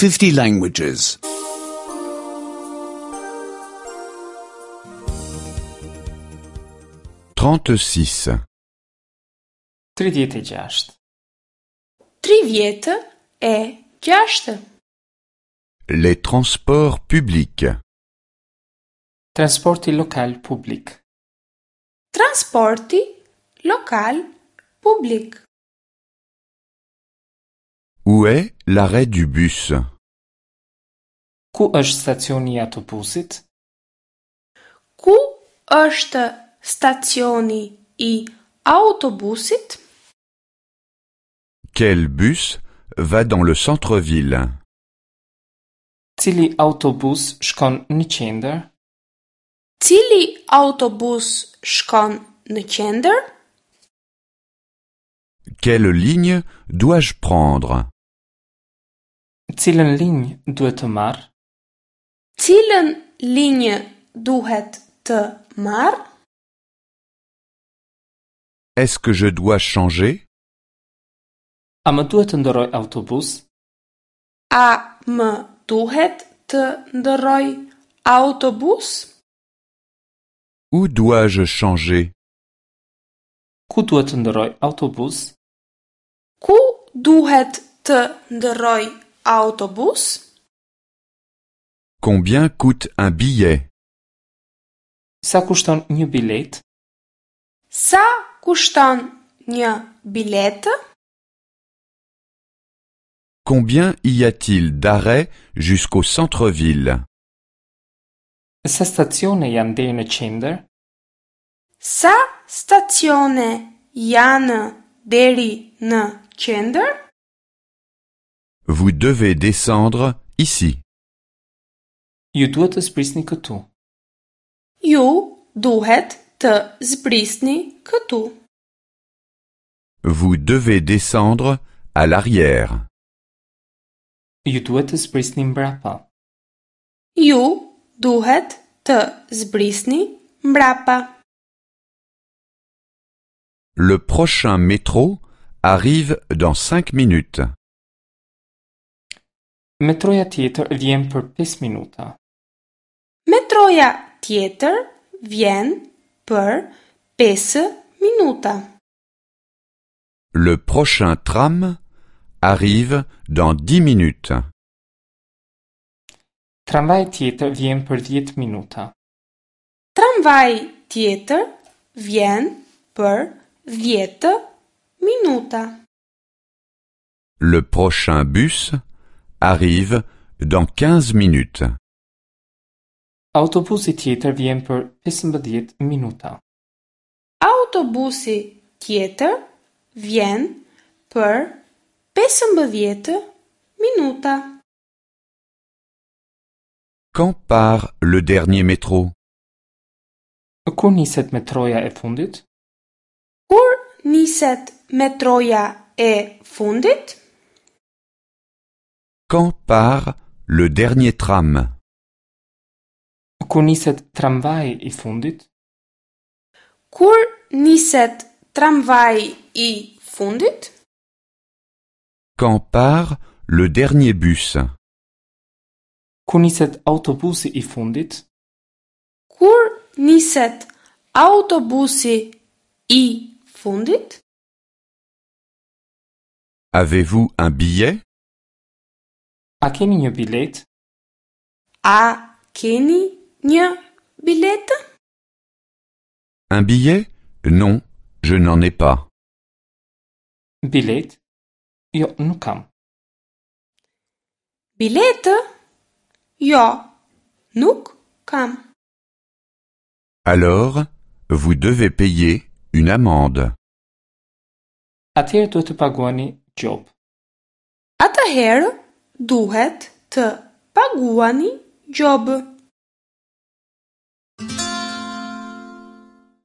50 languages. 36. 36. 36. Les transports publics. Transporti lokal publik. Transporti lokal publik. Où est l'arrêt du bus? Ku është stacioni i autobusit? Ku është stacioni i autobusit? Quel bus va dans le centre-ville? Cili autobus shkon në qendër? Cili autobus shkon në qendër? Quelle ligne dois-je prendre? Cilën linjë duhet të marr? Cilën linjë duhet të marr? Est-ce que je dois changer? A më duhet të ndërroj autobus? A më duhet të ndërroj autobus? Où dois-je changer? Ku duhet të ndërroj autobus? Ku duhet të ndërroj autobus? Combien coûte un billet? Sa kushton një biletë? Sa kushton një biletë? Combien y a-t-il d'arrêts jusqu'au centre-ville? Sa stacione janë deri në qendër? Sa stacione janë deri në qendër? Vous devez descendre ici. Ju duhet të zbrisni këtu. Ju duhet të zbrisni këtu. Vous devez descendre à l'arrière. Ju duhet të zbrisni mbrapa. Ju duhet të zbrisni mbrapa. Le prochain métro arrive dans cinq minutes. Metroja tjetër vjen për 5 minuta. Metroja tjetër vjen për 5 minuta. Le prochain tram arrive dans dix minutes. Tramvaji tjetër vjen për 10 minuta. Tramvaji tjetër vjen për 10 minuta. Le prochain bus arrive dans quinze minutes. Autobusi tjetër vjen për 15 minuta. Autobusi tjetër vjen për 15 minuta. Quand part le dernier métro? Kur niset metroja e fundit? Kur niset metroja e fundit? Quand part le dernier tram? Kur niset tramvaji i fundit? Kur niset tramvaji i fundit? Quand part le dernier bus? Kur niset autobusi i fundit? Kur niset autobusi i fundit? Avez-vous un billet? A keni një biletë? A keni një biletë? Un billet? Non, je n'en ai pas. Biletë? Jo, nuk kam. Biletë? Jo, nuk kam. Alors, vous devez payer une amende. Atëherë duhet të paguani gjobë. Atëherë duhet të paguani gjobë.